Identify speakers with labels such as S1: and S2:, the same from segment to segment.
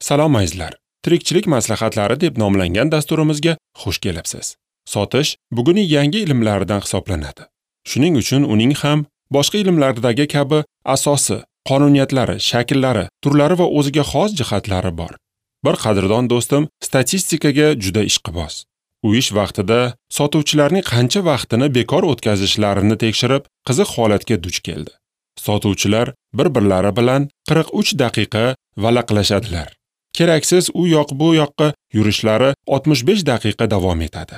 S1: Salom azizlar. Tirikchilik maslahatlari deb nomlangan dasturimizga xush kelibsiz. Sotish bugunning yangi ilmlaridan hisoblanadi. Shuning uchun uning ham boshqa ilmlardagi kabi asosi, qonuniyatlari, shakllari, turlari va o'ziga xos jihatlari bor. Bir qadrdon do'stim statistikaga juda ishqiboz. U ish vaqtida sotuvchilarning qancha vaqtini bekor o'tkazishlarini tekshirib, qiziq holatga duch keldi. Sotuvchilar bir-birlari bilan 43 daqiqa valaqlashadilar. Keraksiz u yoq bu yoqqa yurishlari 65 daqiqa davom etadi.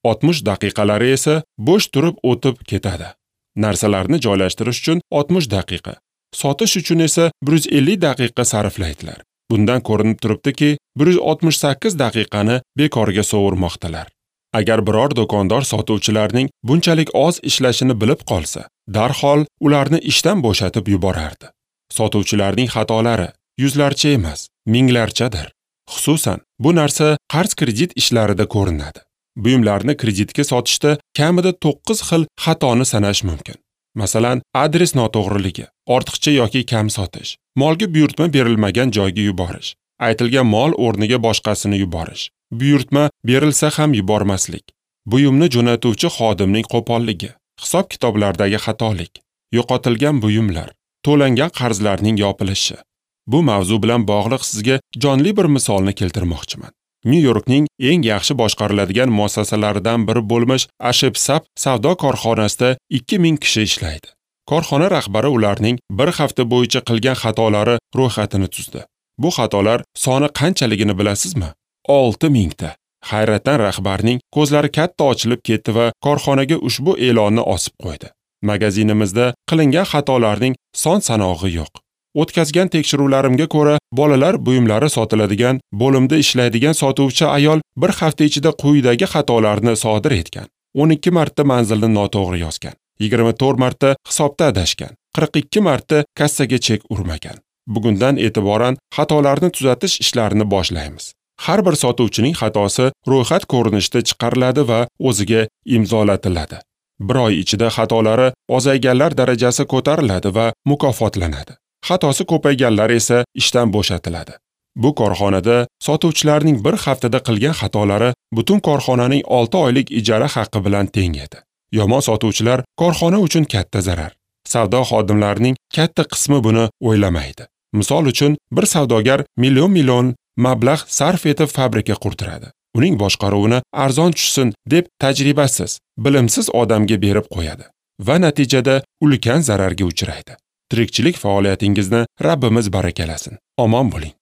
S1: 60 daqiqalari esa bo'sh turib o'tib ketadi. Narsalarni joylashtirish uchun 60 daqiqa, sotish uchun esa 150 daqiqa sarflaydilar. Bundan ko'rinib turibdiki, 168 daqiqani bekorga sovurmoqdalar. Agar biror do'kondor sotuvchilarning bunchalik oz ishlashini bilib qolsa, darhol ularni ishdan bo'shatib yuborardi. Sotuvchilarning xatolari yuzlarcha emas, minglarchadir. Xususan, bu narsa qarz-kredit ishlarida ko'rinadi. Buyumlarni kreditga sotishda kamida 9 xil xatoni sanash mumkin. Masalan, adres noto'g'riligi, ortiqcha yoki kam sotish, molga buyurtma berilmagan joyga yuborish, aytilgan mol o'rniga boshqasini yuborish, buyurtma berilsa ham yubormaslik, buyumni jo'natuvchi xodimning qo'polligi, hisob-kitoblardagi xatolik, yo'qotilgan buyumlar, to'langan qarzlarning yopilishi. Bu mavzu bilan bog'liq sizga jonli bir misolni keltirmoqchiman. Nyu-Yorkning eng yaxshi boshqariladigan muassasalaridan biri bo'lmish Ashepsap savdo korxonasida 2000 kishi ishlaydi. Korxona rahbari ularning bir hafta bo'yicha qilgan xatolari ro'yxatini tuzdi. Bu xatolar soni qanchaligini bilasizmi? 6000 ta. Hayratdan rahbarning ko'zlari katta ochilib ketdi va korxonaga ushbu e'lonni osib qo'ydi. Magazinimizda qilingan xatolarning son sanog'i yo'q. O'tkazgan tekshiruvlarimga ko'ra, bolalar buyumlari sotiladigan bo'limda ishlaydigan sotuvchi ayol bir hafta ichida quyidagi xatolarni sodir etgan. 12 marta manzilni noto'g'ri yozgan, 24 marta hisobda adashgan, 42 marta kassaga chek urmagan. Bugundan e'tiboran xatolarni tuzatish ishlarini boshlaymiz. Har bir sotuvchining xatosi ro'yxat ko'rinishida chiqariladi va o'ziga imzolatiladi. Bir oy ichida xatolari ozayganlar darajasi ko'tariladi va mukofotlanadi. Xatosi ko'payganlar esa ishdan bo'shatiladi. Bu korxonada sotuvchilarning bir haftada qilgan xatolari butun korxonaning 6 oylik ijara haqqi bilan teng edi. Yomon sotuvchilar korxona uchun katta zarar. Savdo xodimlarining katta qismi buni o'ylamaydi. Misol uchun, bir savdogar million mablag' sarf etib fabrika qurdiradi. Uning boshqaruvini arzon tushsin deb tajribasiz, bilimsiz odamga berib qo'yadi va natijada ulkan zararga uchraydi. Tirikchilik faoliyatingizni Rabbimiz barakalasin. Omon bo'ling.